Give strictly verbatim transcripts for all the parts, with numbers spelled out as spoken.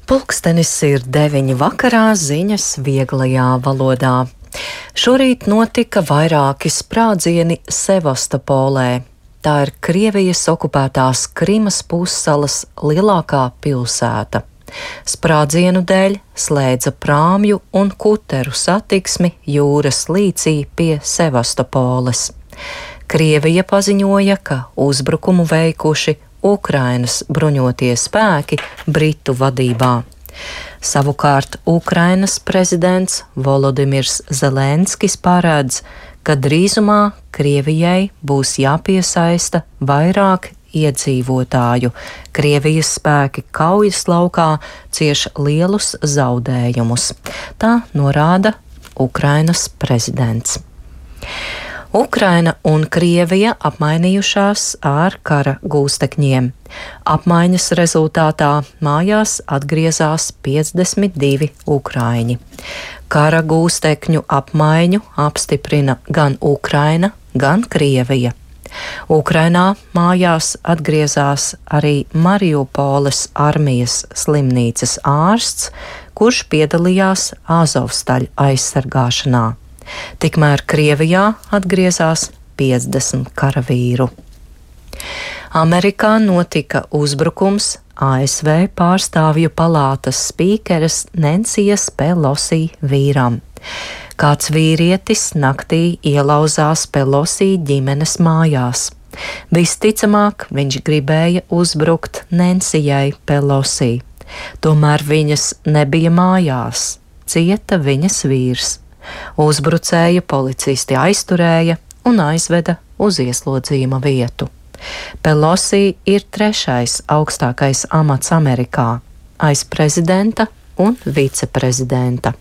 Pulkstenis ir deviņi vakarā, ziņas vieglajā valodā. Šorīt notika vairāki sprādzieni Sevastopolē. Tā ir Krievijas okupētās Krimas pussalas lielākā pilsēta. Sprādzienu dēļ slēdza prāmju un kuteru satiksmi jūras līcī pie Sevastopoles. Krievija paziņoja, ka uzbrukumu veikuši Ukrainas bruņotie spēki Britu vadībā. Savukārt Ukrainas prezidents Volodimirs Zelenskis paredz, ka drīzumā Krievijai būs jāpiesaista vairāk iedzīvotāju. Krievijas spēki kaujas laukā cieš lielus zaudējumus. Tā norāda Ukrainas prezidents. Ukraina un Krievija apmainījušās ar kara gūstekņiem. Apmaiņas rezultātā mājās atgriezās piecdesmit divi ukraiņi. Kara gūstekņu apmaiņu apstiprina gan Ukraina, gan Krievija. Ukrainā mājās atgriezās arī Mariupoles armijas slimnīcas ārsts, kurš piedalījās Azovstaļa aizsargāšanā. Tikmēr Krievijā atgriezās piecdesmit karavīru. Amerikā notika uzbrukums A S V pārstāvju palātas spīkeres Nensijas Pelosi vīram. Kāds vīrietis naktī ielauzās Pelosi ģimenes mājās. Visticamāk, viņš gribēja uzbrukt Nensijai Pelosi. Tomēr viņas nebija mājās, cieta viņas vīrs. Uzbrucēju policisti aizturēja un aizveda uz ieslodzījuma vietu. Pelosi ir trešais augstākais amats Amerikā, aiz prezidenta un viceprezidenta.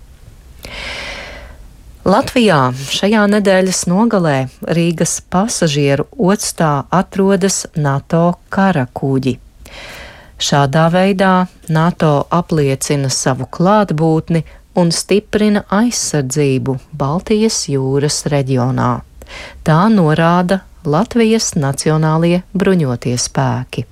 Latvijā šajā nedēļas nogalē Rīgas pasažieru ostā atrodas NATO kara kuģi. Šādā veidā NATO apliecina savu klātbūtni un stiprina aizsardzību Baltijas jūras reģionā. Tā norāda Latvijas Nacionālie bruņotie spēki.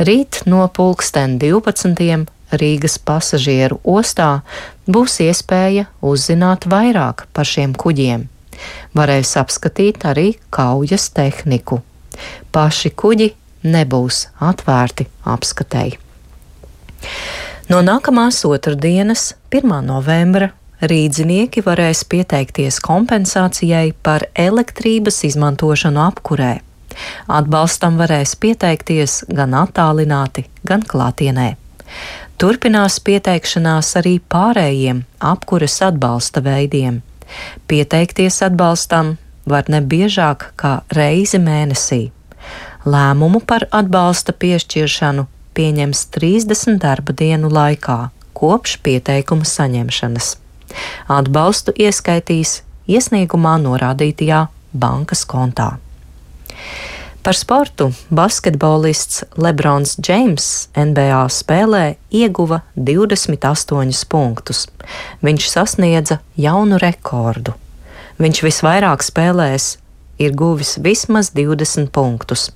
Rīt no pulksten divpadsmitiem Rīgas pasažieru ostā būs iespēja uzzināt vairāk par šiem kuģiem. Varēs apskatīt arī kaujas tehniku. Paši kuģi nebūs atvērti apskatei. No nākamās otrdienas, pirmā novembra, rīdzinieki varēs pieteikties kompensācijai par elektrības izmantošanu apkurē. Atbalstam varēs pieteikties gan attālināti, gan klātienē. Turpinās pieteikšanās arī pārējiem apkures atbalsta veidiem. Pieteikties atbalstam var ne biežāk kā reizi mēnesī. Lēmumu par atbalsta piešķiršanu pieņems trīsdesmit darba dienu laikā, kopš pieteikuma saņemšanas. Atbalstu ieskaitīs iesniegumā norādītajā bankas kontā. Par sportu basketbolists Lebrons Džeims N B A spēlē ieguva divdesmit astoņus punktus. Viņš sasniedza jaunu rekordu. Viņš visvairāk spēlēs ir guvis vismaz divdesmit punktus.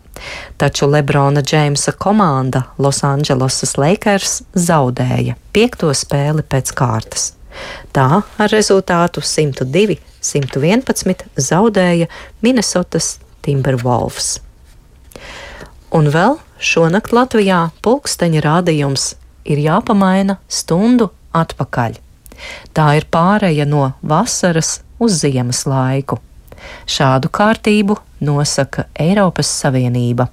Taču Lebrona Džeimsa komanda Losandželosas Lakers zaudēja piekto spēli pēc kārtas. Tā ar rezultātu simt divi simt vienpadsmit zaudēja Minnesotas Timberwolves. Un vēl šonakt Latvijā pulksteņa rādījums ir jāpamaina stundu atpakaļ. Tā ir pāreja no vasaras uz ziemas laiku. Šādu kārtību nosaka Eiropas Savienība.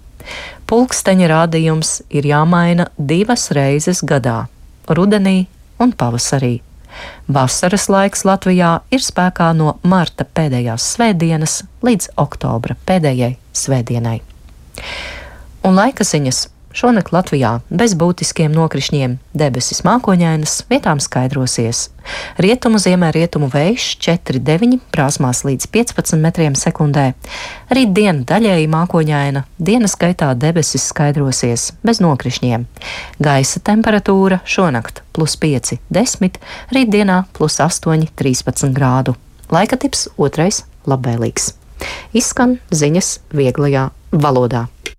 Pulksteņa rādījums ir jāmaina divas reizes gadā – rudenī un pavasarī. Vasaras laiks Latvijā ir spēkā no marta pēdējās svētdienas līdz oktobra pēdējai svētdienai. Un laika ziņas. Šonakt Latvijā bez būtiskiem nokrišņiem, debesis mākoņainas, vietām skaidrosies. Rietumu ziemē rietumu vējš četri deviņi, prāsmās līdz piecpadsmit metriem sekundē. Rīt diena daļēji mākoņaina, dienas gaitā debesis skaidrosies bez nokrišņiem. Gaisa temperatūra šonakt plus pieci desmit, rītdienā plus astoņi trīspadsmit grādu. Laika tips otrais labvēlīgs. Izskan ziņas vieglajā valodā.